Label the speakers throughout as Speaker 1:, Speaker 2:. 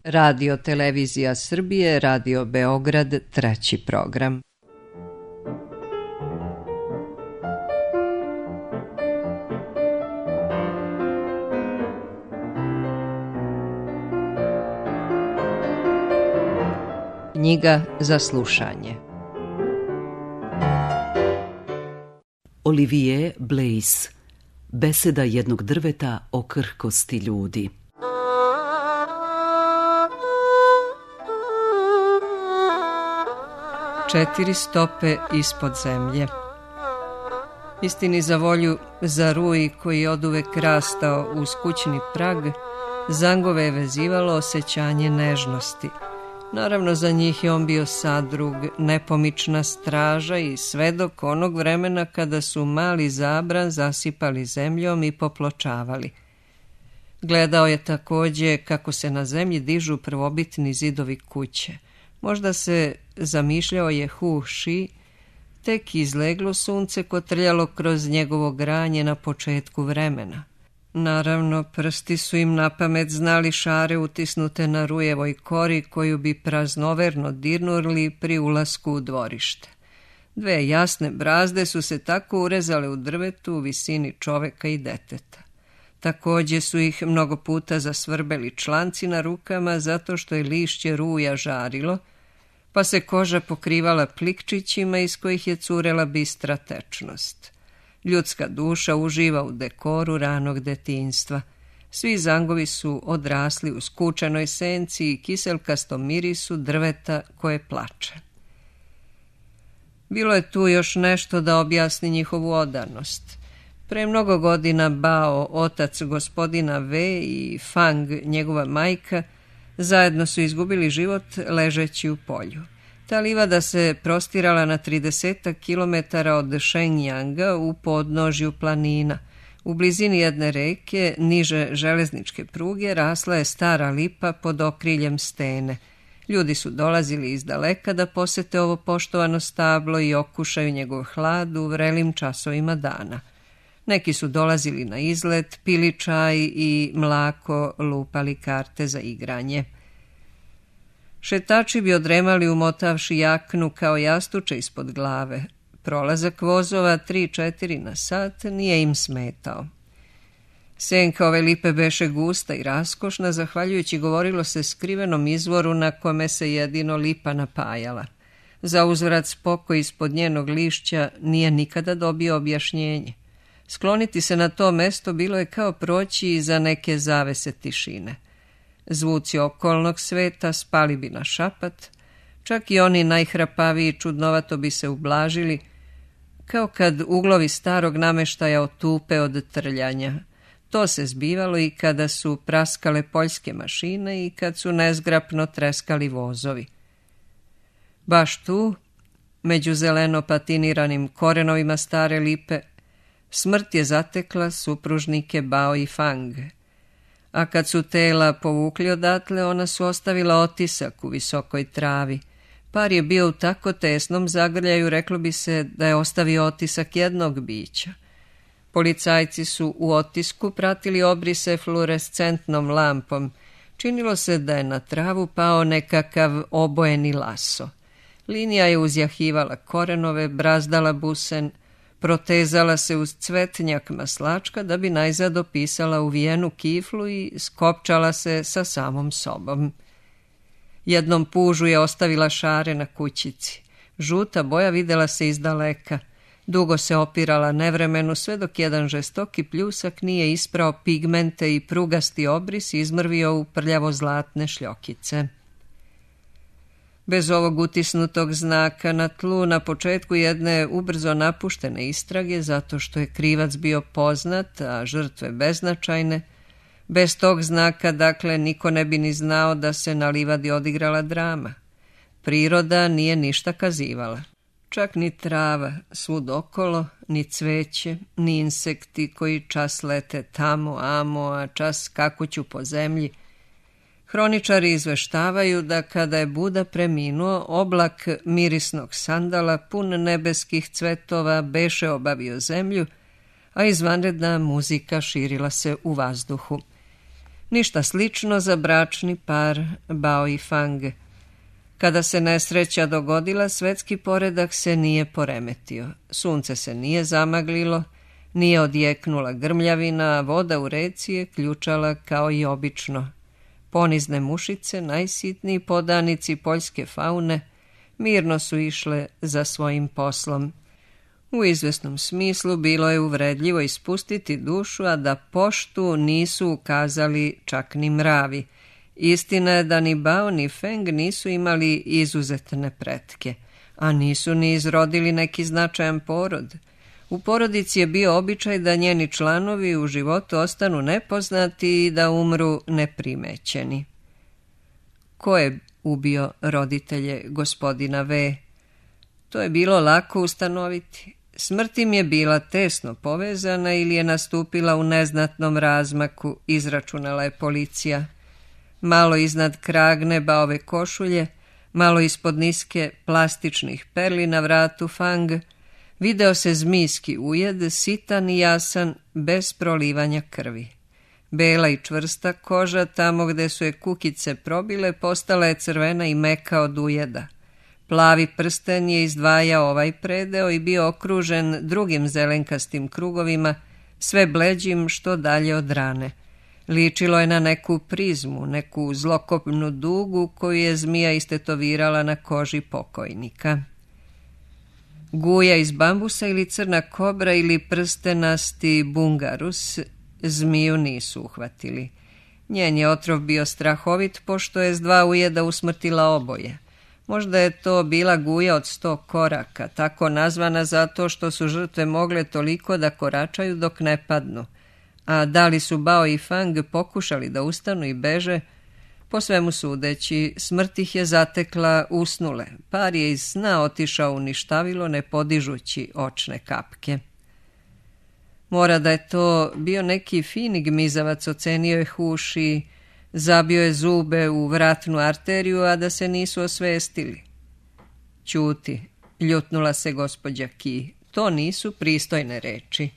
Speaker 1: Radio Televizija Srbije, Radio Beograd, treći program. Knjiga za slušanje.
Speaker 2: Olivier Blaise, Beseda jednog drveta o krhkosti ljudi.
Speaker 1: Četiri stope ispod zemlje. Istini za volju, za ruj koji je oduvek rastao uz kućni prag, zangove je vezivalo osjećanje nežnosti. Naravno, za njih je on bio sadrug, nepomična straža i svedok onog vremena kada su mali zabran zasipali zemljom i popločavali. Gledao je takođe kako se na zemlji dižu prvobitni zidovi kuće. Možda se zamišljao je Hu Shi, tek izleglo sunce kotrljalo kroz njegovo granje na početku vremena. Naravno, prsti su im napamet znali šare utisnute na rujevoj kori koju bi praznoverno dirnuli pri ulasku u dvorište. Dve jasne brazde su se tako urezale u drvetu u visini čoveka i deteta. Takođe su ih mnogo puta zasvrbeli članci na rukama zato što je lišće ruja žarilo, pa se koža pokrivala plikčićima iz kojih je curela bistra tečnost. Ljudska duša uživa u dekoru ranog detinjstva. Svi zangovi su odrasli u skučenoj senci i kiselkastom mirisu drveta koje plače. Bilo je tu još nešto da objasni njihovu odanost. Pre mnogo godina Bao, otac gospodina V i Fang, njegova majka, zajedno su izgubili život ležeći u polju. Ta livada se prostirala na 30 kilometara od Shenyanga u podnožju planina. U blizini jedne reke, niže železničke pruge, rasla je stara lipa pod okriljem stene. Ljudi su dolazili iz daleka da posete ovo poštovano stablo i okušaju njegov hlad u vrelim časovima dana. Neki su dolazili na izlet, pili čaj i mlako lupali karte za igranje. Šetači bi odremali umotavši jaknu kao jastuče ispod glave. Prolazak vozova 3-4 na sat nije im smetao. Senka ove lipe beše gusta i raskošna, zahvaljujući, govorilo se, skrivenom izvoru na kome se jedino lipa napajala. Za uzvrat spokoj ispod njenog lišća nije nikada dobio objašnjenje. Skloniti se na to mesto bilo je kao proći iza neke zavese tišine. Zvuci okolnog sveta spali bi na šapat, čak i oni najhrapaviji čudnovato bi se ublažili, kao kad uglovi starog nameštaja otupe od trljanja. To se zbivalo i kada su praskale poljske mašine i kad su nezgrapno treskali vozovi. Baš tu, među zeleno patiniranim korenovima stare lipe, smrt je zatekla supružnike Bao i Fang. A kad su tela povukli odatle, ona su ostavila otisak u visokoj travi. Par je bio u tako tesnom zagrljaju, reklo bi se da je ostavio otisak jednog bića. Policajci su u otisku pratili obrise fluorescentnom lampom. Činilo se da je na travu pao nekakav obojeni laso. Linija je uzjahivala korenove, brazdala busen, protezala se uz cvetnjak maslačka da bi najzad opisala uvijenu kiflu i skopčala se sa samom sobom. Jednom pužu je ostavila šare na kućici. Žuta boja videla se iz daleka. Dugo se opirala nevremenu, sve dok jedan žestoki pljusak nije isprao pigmente i prugasti obris izmrvio u prljavo zlatne šljokice. Bez ovog utisnutog znaka na tlu na početku jedne ubrzo napuštene istrage, zato što je krivac bio poznat, a žrtve beznačajne, bez tog znaka, dakle, niko ne bi ni znao da se na livadi odigrala drama. Priroda nije ništa kazivala. Čak ni trava svud okolo, ni cveće, ni insekti koji čas lete tamo, amo, a čas skakuću po zemlji. Hroničari izveštavaju da kada je Buda preminuo, oblak mirisnog sandala pun nebeskih cvetova beše obavio zemlju, a izvanredna muzika širila se u vazduhu. Ništa slično za bračni par Bao i Fang. Kada se nesreća dogodila, svetski poredak se nije poremetio. Sunce se nije zamaglilo, nije odjeknula grmljavina, a voda u reci je ključala kao i obično. Ponizne mušice, najsitniji podanici poljske faune, mirno su išle za svojim poslom. U izvesnom smislu bilo je uvredljivo ispustiti dušu, a da poštu nisu ukazali čak ni mravi. Istina je da ni Bao ni Feng nisu imali izuzetne pretke, a nisu ni izrodili neki značajan porod. U porodici je bio običaj da njeni članovi u životu ostanu nepoznati i da umru neprimećeni. Ko je ubio roditelje gospodina V? To je bilo lako ustanoviti. Smrt im je bila tesno povezana ili je nastupila u neznatnom razmaku, izračunala je policija. Malo iznad kragne Baove košulje, malo ispod niske plastičnih perli na vratu Fang, video se zmijski ujed, sitan i jasan, bez prolivanja krvi. Bela i čvrsta koža, tamo gde su je kukice probile, postala je crvena i meka od ujeda. Plavi prsten je izdvajao ovaj predeo i bio okružen drugim zelenkastim krugovima, sve bleđim što dalje od rane. Ličilo je na neku prizmu, neku zlokobnu dugu koju je zmija istetovirala na koži pokojnika. Guja iz bambusa ili crna kobra ili prstenasti bungarus zmiju nisu uhvatili. Njen je otrov bio strahovit, pošto je s 2 ujeda usmrtila oboje. Možda je to bila guja od 100 koraka, tako nazvana zato što su žrtve mogle toliko da koračaju dok ne padnu. A da li su Bao i Fang pokušali da ustanu i beže? Po svemu sudeći, smrt ih je zatekla usnule. Par je iz sna otišao u ništavilo, ne podižući očne kapke. Mora da je to bio neki fini gmizavac, ocenio je Huši, zabio je zube u vratnu arteriju, a da se nisu osvestili. Ćuti, ljutnula se gospođa Ki, to nisu pristojne reči.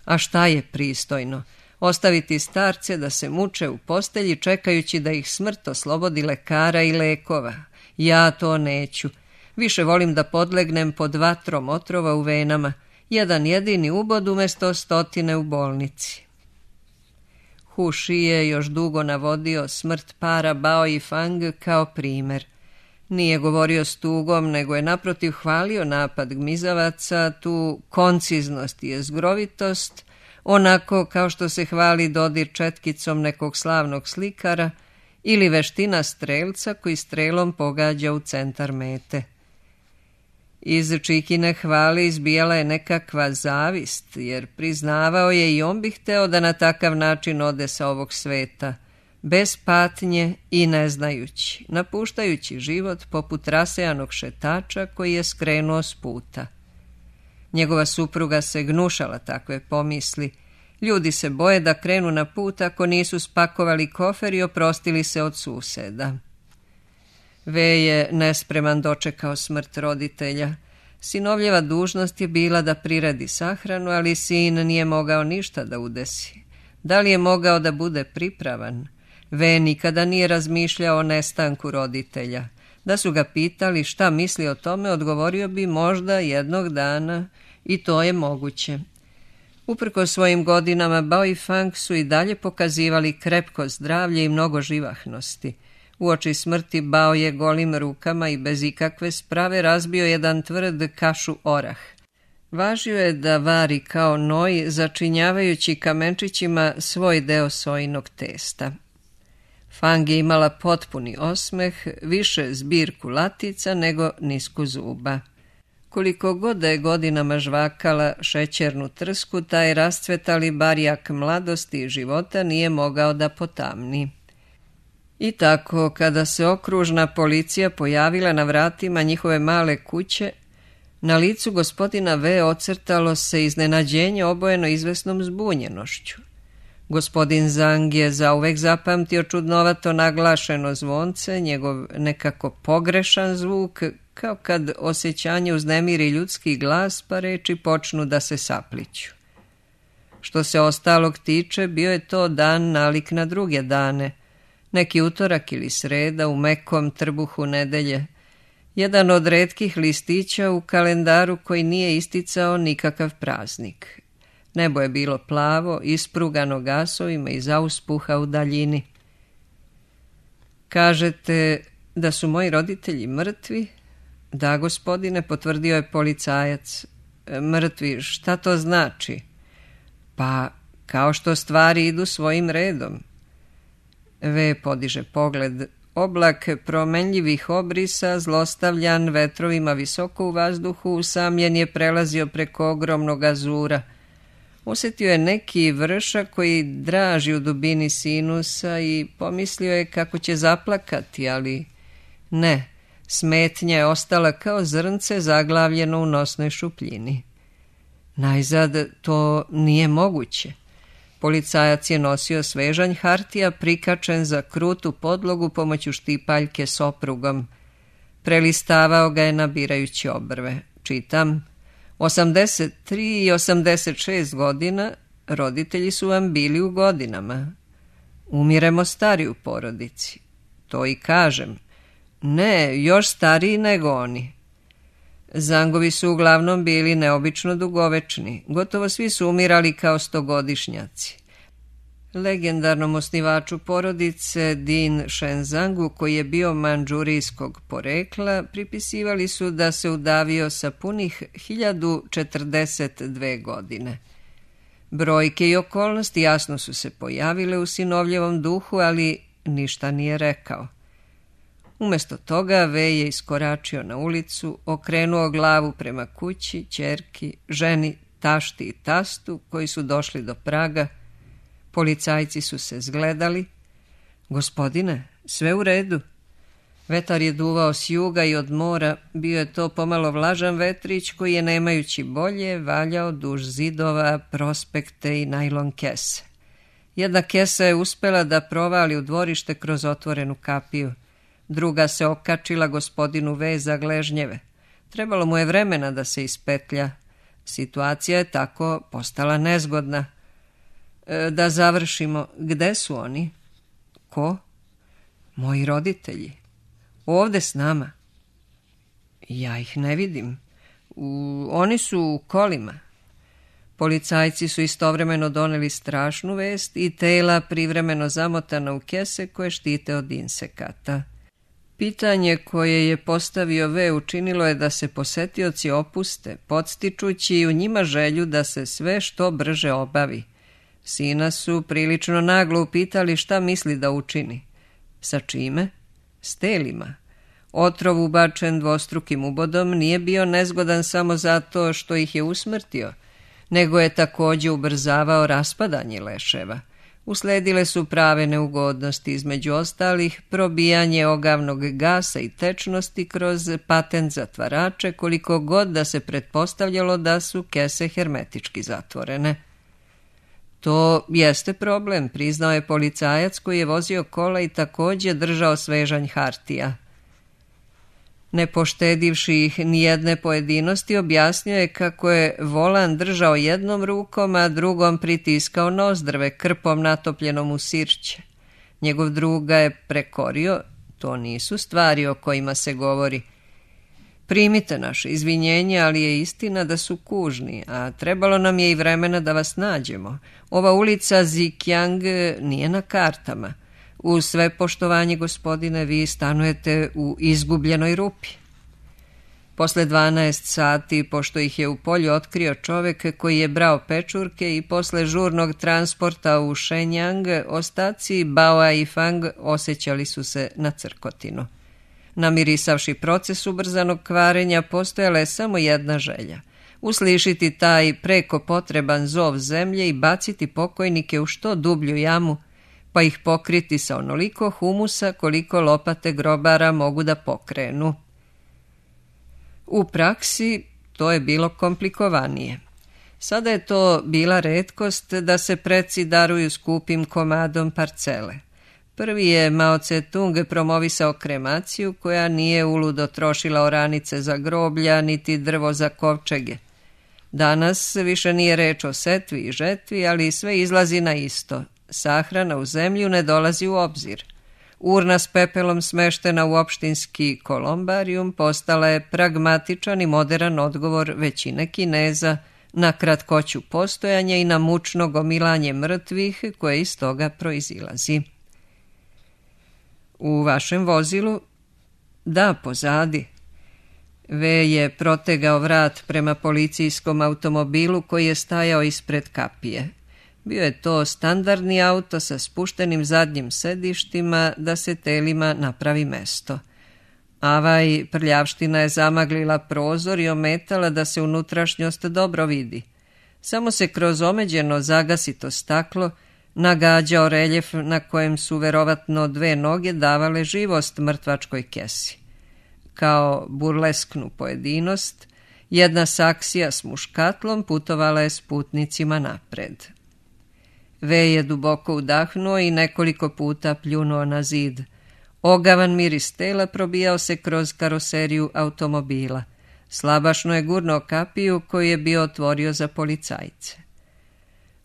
Speaker 1: A šta je pristojno? Ostaviti starce da se muče u postelji čekajući da ih smrt oslobodi lekara i lekova. Ja to neću. Više volim da podlegnem pod vatrom otrova u venama. Jedan jedini ubod umjesto 100 u bolnici. Huši je još dugo navodio smrt para Bao i Fang kao primer. Nije govorio s tugom, nego je naprotiv hvalio napad gmizavaca, tu konciznost i jezgrovitost, onako kao što se hvali dodir četkicom nekog slavnog slikara ili veština strelca koji strelom pogađa u centar mete. Iz Čikine hvale izbijala je nekakva zavist, jer priznavao je i on bi hteo da na takav način ode sa ovog sveta, bez patnje i ne znajući, napuštajući život poput rasejanog šetača koji je skrenuo s puta. Njegova supruga se gnušala takve pomisli. Ljudi se boje da krenu na put ako nisu spakovali kofer i oprostili se od suseda. V je nespreman dočekao smrt roditelja. Sinovljeva dužnost je bila da priredi sahranu, ali sin nije mogao ništa da udesi. Da li je mogao da bude pripravan? V nikada nije razmišljao o nestanku roditelja. Da su ga pitali šta misli o tome, odgovorio bi možda jednog dana, i to je moguće. Uprkos svojim godinama, Bao i Fang su i dalje pokazivali krepko zdravlje i mnogo živahnosti. Uoči smrti Bao je golim rukama i bez ikakve sprave razbio jedan tvrd kašu orah. Važio je da vari kao noj, začinjavajući kamenčićima svoj deo sojinog testa. Fang je imala potpuni osmeh, više zbirku latica nego nisku zuba. Koliko god da je godinama žvakala šećernu trsku, taj rascvetali barjak mladosti i života nije mogao da potamni. I tako, kada se okružna policija pojavila na vratima njihove male kuće, na licu gospodina V ocrtalo se iznenađenje obojeno izvesnom zbunjenošću. Gospodin Zhang je zauvek zapamtio čudnovato naglašeno zvonce, njegov nekako pogrešan zvuk, kao kad osjećanje uznemiri ljudski glas, pa reči počnu da se sapliću. Što se ostalog tiče, bio je to dan nalik na druge dane, neki utorak ili sreda u mekom trbuhu nedelje, jedan od retkih listića u kalendaru koji nije isticao nikakav praznik. Nebo je bilo plavo, isprugano gasovima i zauspuha u daljini. Kažete da su moji roditelji mrtvi? Da, gospodine, potvrdio je policajac. Mrtvi, šta to znači? Pa, kao što stvari idu svojim redom. V podiže pogled. Oblak promenljivih obrisa, zlostavljan vetrovima visoko u vazduhu, usamljen je prelazio preko ogromnog azura. Osjetio je neki vršak koji draži u dubini sinusa i pomislio je kako će zaplakati, ali ne, smetnja je ostala kao zrnce zaglavljeno u nosnoj šupljini. Najzad to nije moguće. Policajac je nosio svežanj hartija prikačen za krutu podlogu pomoću štipaljke s oprugom. Prelistavao ga je nabirajući obrve. Čitam: 83 i 86 godina, roditelji su vam bili u godinama. Umiremo stari u porodici. To i kažem. Ne, još stariji nego oni. Zangovi su uglavnom bili neobično dugovečni. Gotovo svi su umirali kao stogodišnjaci. Legendarnom osnivaču porodice Din Shenzangu, koji je bio mandžurijskog porekla, pripisivali su da se udavio sa punih 1042 godine. Brojke i okolnosti jasno su se pojavile u sinovljevom duhu, ali ništa nije rekao. Umjesto toga V je iskoračio na ulicu, okrenuo glavu prema kući, ćerki, ženi, tašti i tastu koji su došli do praga. Policajci su se zgledali. Gospodine, sve u redu. Vetar je duvao s juga i od mora, bio je to pomalo vlažan vetrić koji je, nemajući bolje, valjao duž zidova, prospekte i najlon kese. Jedna kesa je uspela da provali u dvorište kroz otvorenu kapiju. Druga se okačila gospodinu V za gležnjeve. Trebalo mu je vremena da se ispetlja. Situacija je tako postala nezgodna. Da završimo, gde su oni? Ko? Moji roditelji. Ovde s nama. Ja ih ne vidim. Oni su u kolima. Policajci su istovremeno doneli strašnu vest i tela privremeno zamotana u kese koje štite od insekata. Pitanje koje je postavio V učinilo je da se posetioci opuste, podstičući u njima želju da se sve što brže obavi. Sina su prilično naglo upitali šta misli da učini. Sa čime? S telima. Otrov ubačen dvostrukim ubodom nije bio nezgodan samo zato što ih je usmrtio, nego je također ubrzavao raspadanje leševa. Usledile su prave neugodnosti, između ostalih probijanje ogavnog gasa i tečnosti kroz patent zatvarače, koliko god da se pretpostavljalo da su kese hermetički zatvorene. To jeste problem, priznao je policajac koji je vozio kola i također držao svežanj hartija. Ne poštedivši ih nijedne pojedinosti, objasnio je kako je volan držao jednom rukom, a drugom pritiskao nozdrve krpom natopljenom u sirće. Njegov drug ga je prekorio, to nisu stvari o kojima se govori. Primite naše izvinjenje, ali je istina da su kužni, a trebalo nam je i vremena da vas nađemo. Ova ulica Zikjang nije na kartama. Uz sve poštovanje, gospodine, vi stanujete u izgubljenoj rupi. Posle 12 sati, pošto ih je u polju otkrio čovek koji je brao pečurke i posle žurnog transporta u Shenyang, ostaci Bao i Fang osjećali su se na crkotinu. Namirisavši proces ubrzanog kvarenja, postojala je samo jedna želja. Uslišiti taj preko potreban zov zemlje i baciti pokojnike u što dublju jamu, pa ih pokriti sa onoliko humusa koliko lopate grobara mogu da pokrenu. U praksi to je bilo komplikovanije. Sada je to bila retkost da se preci daruju skupim komadom parcele. Prvi je Mao Tse-tung promovisao kremaciju koja nije uludo trošila oranice za groblja niti drvo za kovčege. Danas više nije reč o setvi i žetvi, ali sve izlazi na isto. Sahrana u zemlju ne dolazi u obzir. Urna s pepelom smeštena u opštinski kolombarijum postala je pragmatičan i moderan odgovor većine Kineza na kratkoću postojanja i na mučno gomilanje mrtvih koje iz toga proizilazi. U vašem vozilu? Da, pozadi. V je protegao vrat prema policijskom automobilu koji je stajao ispred kapije. Bio je to standardni auto sa spuštenim zadnjim sedištima da se telima napravi mesto. Avaj prljavština je zamaglila prozor i ometala da se unutrašnjost dobro vidi. Samo se kroz omeđeno zagasito staklo nagađao reljef na kojem su verovatno 2 noge davale živost mrtvačkoj kesi. Kao burlesknu pojedinost, jedna saksija s muškatlom putovala je s putnicima napred. V je duboko udahnuo i nekoliko puta pljunuo na zid. Ogavan miris tela probijao se kroz karoseriju automobila. Slabašno je gurnuo kapiju koju je bio otvorio za policajce.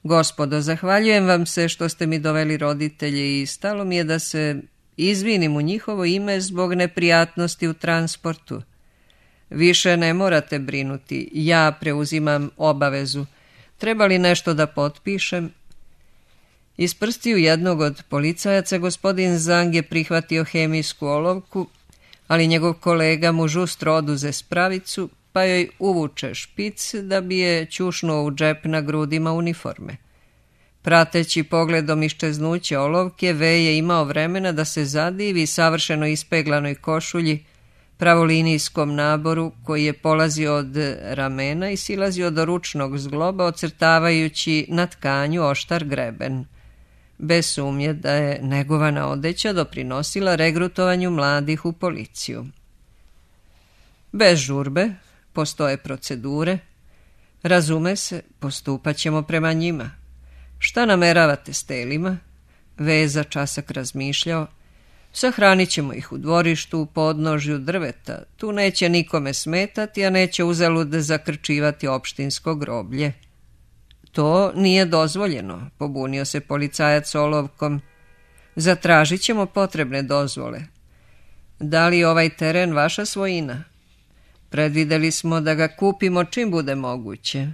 Speaker 1: Gospodo, zahvaljujem vam se što ste mi doveli roditelje i stalo mi je da se izvinim u njihovo ime zbog neprijatnosti u transportu. Više ne morate brinuti, ja preuzimam obavezu. Treba li nešto da potpišem? Iz prstiju jednog od policajaca gospodin Zang je prihvatio hemijsku olovku, ali njegov kolega mu žustro oduze spravicu, pa joj uvuče špic da bi je ćušnuo u džep na grudima uniforme. Prateći pogledom iščeznuće olovke, V je imao vremena da se zadivi savršeno ispeglanoj košulji, pravolinijskom naboru koji je polazio od ramena i silazio do ručnog zgloba, ocrtavajući na tkanju oštar greben. Bez sumnje da je negovana odeća doprinosila regrutovanju mladih u policiju. Bez žurbe, postoje procedure. Razume se, postupat ćemo prema njima. Šta nameravate s telima? V je za časak razmišljao. Sahranit ćemo ih u dvorištu, u podnožju drveta. Tu neće nikome smetati, a neće uzalud zakrčivati opštinsko groblje. To nije dozvoljeno, pobunio se policajac olovkom. Zatražit ćemo potrebne dozvole. Da li je ovaj teren vaša svojina? Predvideli smo da ga kupimo čim bude moguće.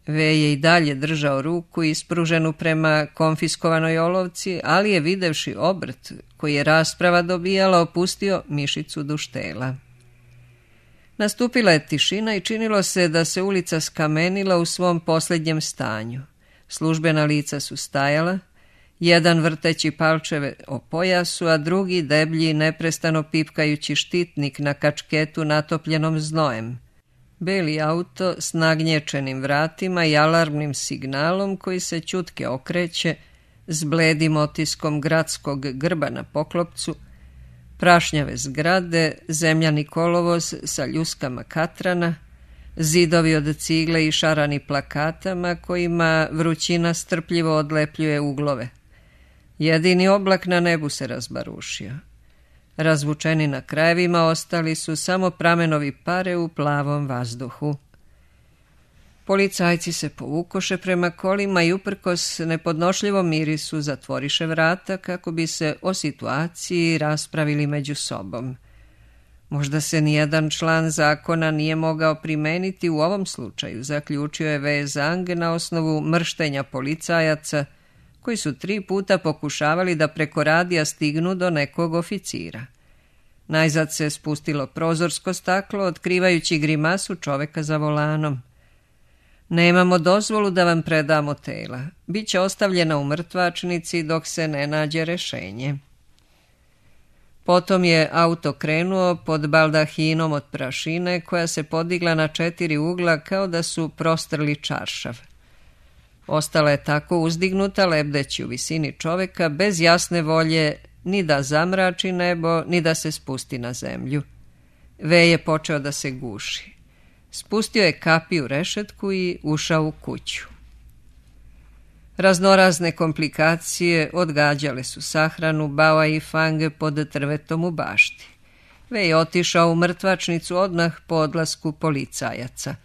Speaker 1: V je i dalje držao ruku ispruženu prema konfiskovanoj olovci, ali je videvši obrt koji je rasprava dobijala opustio mišicu duštela. Nastupila je tišina i činilo se da se ulica skamenila u svom posljednjem stanju. Službena lica su stajala, jedan vrteći palčeve o pojasu, a drugi deblji neprestano pipkajući štitnik na kačketu natopljenom znojem. Beli auto s nagnječenim vratima i alarmnim signalom koji se ćutke okreće s bledim otiskom gradskog grba na poklopcu, prašnjave zgrade, zemljani kolovoz sa ljuskama katrana, zidovi od cigle i šarani plakatama kojima vrućina strpljivo odlepljuje uglove. Jedini oblak na nebu se razbarušio. Razvučeni na krajevima ostali su samo pramenovi pare u plavom vazduhu. Policajci se povukoše prema kolima i uprkos nepodnošljivom mirisu zatvoriše vrata kako bi se o situaciji raspravili među sobom. Možda se nijedan član zakona nije mogao primeniti u ovom slučaju, zaključio je V. Zang na osnovu mrštenja policajaca koji su 3 puta pokušavali da preko radija stignu do nekog oficira. Najzad se spustilo prozorsko staklo, otkrivajući grimasu čoveka za volanom. Nemamo dozvolu da vam predamo tela. Biće ostavljena u mrtvačnici dok se ne nađe rešenje. Potom je auto krenuo pod baldahinom od prašine koja se podigla na 4 ugla kao da su prostrli čaršav. Ostala je tako uzdignuta lebdeći u visini čoveka bez jasne volje ni da zamrači nebo, ni da se spusti na zemlju. V je počeo da se guši. Spustio je kapiju rešetku i ušao u kuću. Raznorazne komplikacije odgađale su sahranu Bao i Fang pod trvetom u bašti. V je otišao u mrtvačnicu odmah po odlasku policajaca.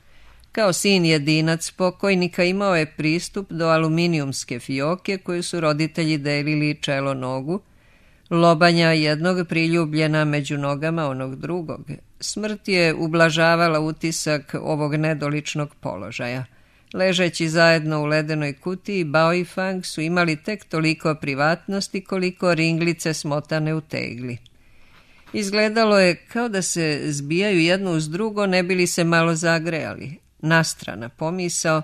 Speaker 1: Kao sin jedinac pokojnika imao je pristup do aluminijumske fioke koju su roditelji delili čelo nogu, lobanja jednog priljubljena među nogama onog drugog. Smrt je ublažavala utisak ovog nedoličnog položaja. Ležeći zajedno u ledenoj kutiji, Bao i Fang su imali tek toliko privatnosti koliko ringlice smotane u tegli. Izgledalo je kao da se zbijaju jedno uz drugo, ne bi li se malo zagrejali. Nastrana pomisao,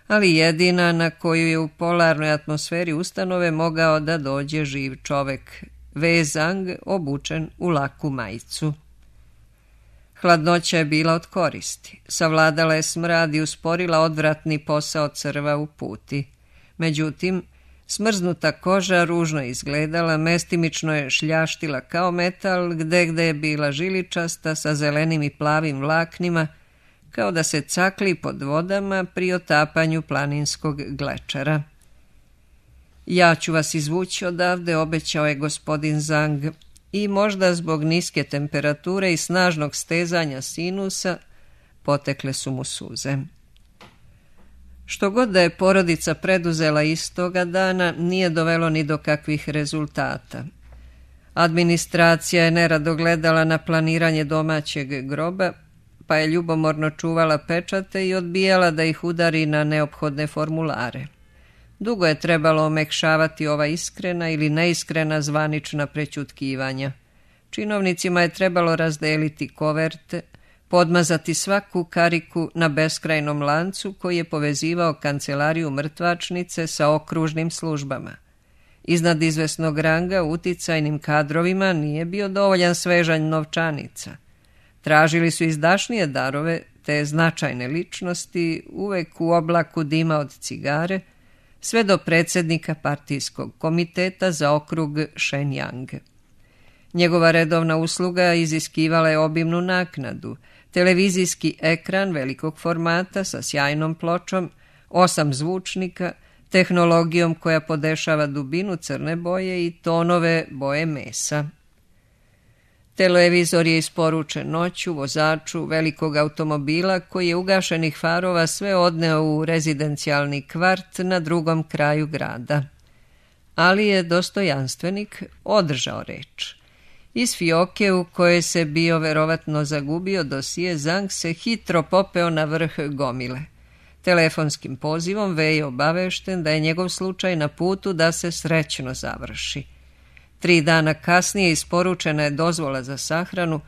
Speaker 1: ali jedina na koju je u polarnoj atmosferi ustanove mogao da dođe živ čovek, Wei Zhang, obučen u laku majicu. Hladnoća je bila od koristi. Savladala je smrad i usporila odvratni posao crva u puti. Međutim, smrznuta koža ružno izgledala, mestimično je šljaštila kao metal, gde je bila žiličasta sa zelenim i plavim vlaknima, kao da se cakli pod vodama pri otapanju planinskog glečera. Ja ću vas izvući odavde, obećao je gospodin Zhang, i možda zbog niske temperature i snažnog stezanja sinusa potekle su mu suze. Što god da je porodica preduzela istoga dana, nije dovelo ni do kakvih rezultata. Administracija je nerado gledala na planiranje domaćeg groba, pa je ljubomorno čuvala pečate i odbijala da ih udari na neophodne formulare. Dugo je trebalo omekšavati ova iskrena ili neiskrena zvanična prećutkivanja. Činovnicima je trebalo razdeliti koverte, podmazati svaku kariku na beskrajnom lancu koji je povezivao kancelariju mrtvačnice sa okružnim službama. Iznad izvesnog ranga uticajnim kadrovima nije bio dovoljan svežanj novčanica. Tražili su izdašnije darove, te značajne ličnosti, uvek u oblaku dima od cigare, sve do predsjednika partijskog komiteta za okrug Shenyang. Njegova redovna usluga iziskivala je obimnu naknadu, televizijski ekran velikog formata sa sjajnom pločom, 8 zvučnika, tehnologijom koja podešava dubinu crne boje i tonove boje mesa. Televizor je isporučen noću vozaču velikog automobila koji je ugašenih farova sve odneo u rezidencijalni kvart na drugom kraju grada. Ali je dostojanstvenik održao reč. Iz fioke u kojoj se bio verovatno zagubio dosije, Zhang se hitro popeo na vrh gomile. Telefonskim pozivom Wei je obavešten da je njegov slučaj na putu da se srećno završi. 3 dana kasnije isporučena je dozvola za sahranu,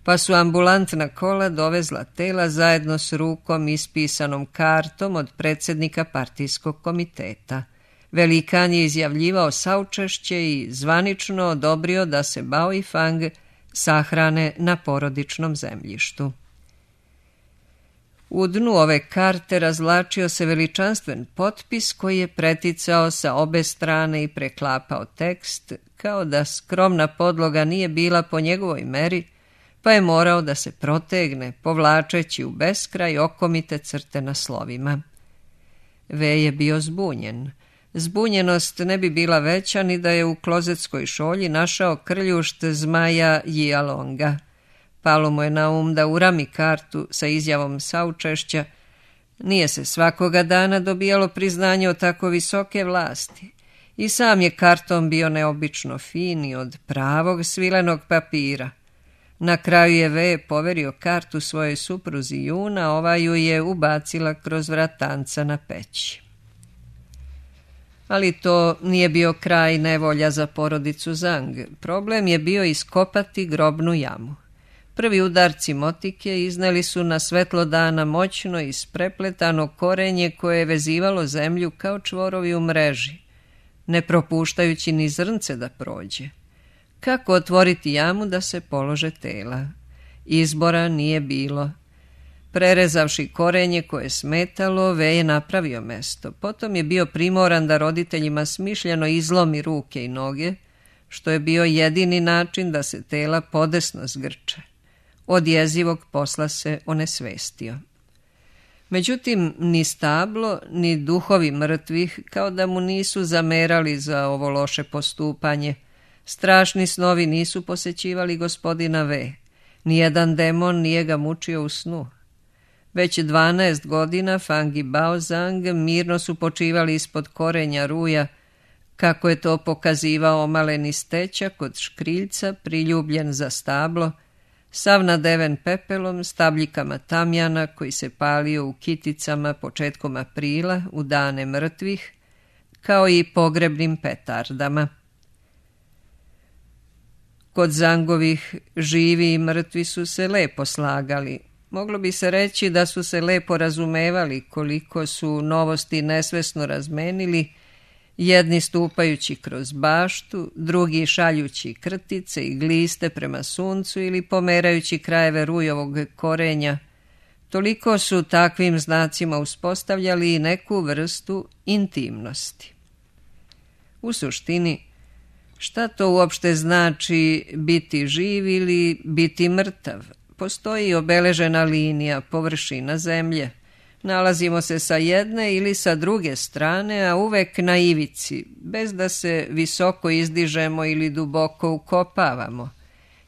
Speaker 1: pa su ambulantna kola dovezla tela zajedno s rukom ispisanom kartom od predsjednika partijskog komiteta. Velikan je izjavljivao saučešće i zvanično odobrio da se Bao i Fang sahrane na porodičnom zemljištu. U dnu ove karte razvlačio se veličanstven potpis koji je preticao sa obe strane i preklapao tekst, kao da skromna podloga nije bila po njegovoj meri, pa je morao da se protegne, povlačeći u beskraj okomite crte na slovima. Wei je bio zbunjen. Zbunjenost ne bi bila veća ni da je u klozetskoj šolji našao krljušt zmaja Jialonga. Palo mu je na um da urami kartu sa izjavom saučešća. Nije se svakoga dana dobijalo priznanje od tako visoke vlasti. I sam je karton bio neobično fin i od pravog svilenog papira. Na kraju je Wei poverio kartu svojoj supruzi Juna, ova ju je ubacila kroz vratanca na peći. Ali to nije bio kraj nevolja za porodicu Zhang. Problem je bio iskopati grobnu jamu. Prvi udarci motike izneli su na svetlo dana moćno isprepletano korenje koje je vezivalo zemlju kao čvorovi u mreži, ne propuštajući ni zrnce da prođe. Kako otvoriti jamu da se polože tela? Izbora nije bilo. Prerezavši korenje koje je smetalo, Wei je napravio mesto. Potom je bio primoran da roditeljima smišljeno izlomi ruke i noge, što je bio jedini način da se tela podesno zgrče. Od jezivog posla se onesvestio. Međutim, ni stablo, ni duhovi mrtvih kao da mu nisu zamerali za ovo loše postupanje. Strašni snovi nisu posećivali gospodina Wei. Nijedan demon nije ga mučio u snu. Već 12 godina Fang i Baozang mirno su počivali ispod korenja ruja, kako je to pokazivao maleni stećak od škriljca priljubljen za stablo, sav nadeven pepelom, stabljikama tamjana koji se palio u kiticama početkom aprila u dane mrtvih, kao i pogrebnim petardama. Kod Zangovih živi i mrtvi su se lepo slagali. Moglo bi se reći da su se lepo razumevali koliko su novosti nesvesno razmenili, jedni stupajući kroz baštu, drugi šaljući krtice i gliste prema suncu ili pomerajući krajeve rujovog korenja. Toliko su takvim znacima uspostavljali i neku vrstu intimnosti. U suštini, šta to uopšte znači biti živ ili biti mrtav? Postoji obeležena linija, površina zemlje. Nalazimo se sa jedne ili sa druge strane, a uvek na ivici, bez da se visoko izdižemo ili duboko ukopavamo.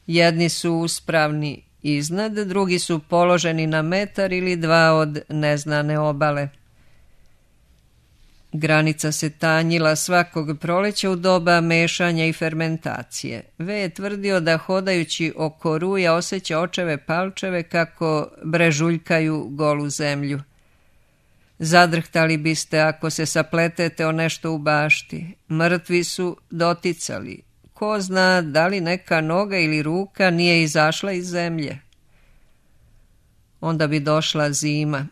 Speaker 1: Jedni su uspravni iznad, drugi su položeni na metar ili dva od neznane obale. Granica se tanjila svakog proleća u doba mešanja i fermentacije. V je tvrdio da hodajući oko ruja osjeća očeve palčeve kako brežuljkaju golu zemlju. Zadrhtali biste ako se sapletete o nešto u bašti. Mrtvi su doticali. Ko zna da li neka noga ili ruka nije izašla iz zemlje. Onda bi došla zima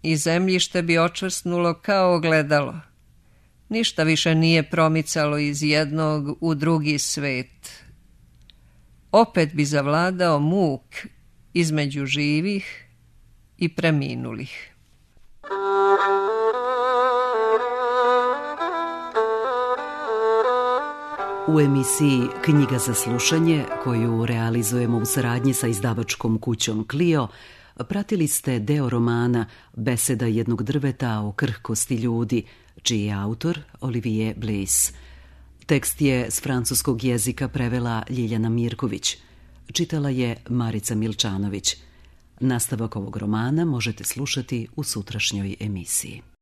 Speaker 1: i zemljište bi očvrsnulo kao ogledalo. Ništa više nije promicalo iz jednog u drugi svet. Opet bi zavladao muk između živih i preminulih.
Speaker 2: U emisiji Knjiga za slušanje, koju realizujemo u saradnji sa izdavačkom kućom Clio, pratili ste deo romana Beseda jednog drveta o krhkosti ljudi, čiji je autor Olivier Bliss. Tekst je s francuskog jezika prevela Ljiljana Mirković. Čitala je Marica Milčanović. Nastavak ovog romana možete slušati u sutrašnjoj emisiji.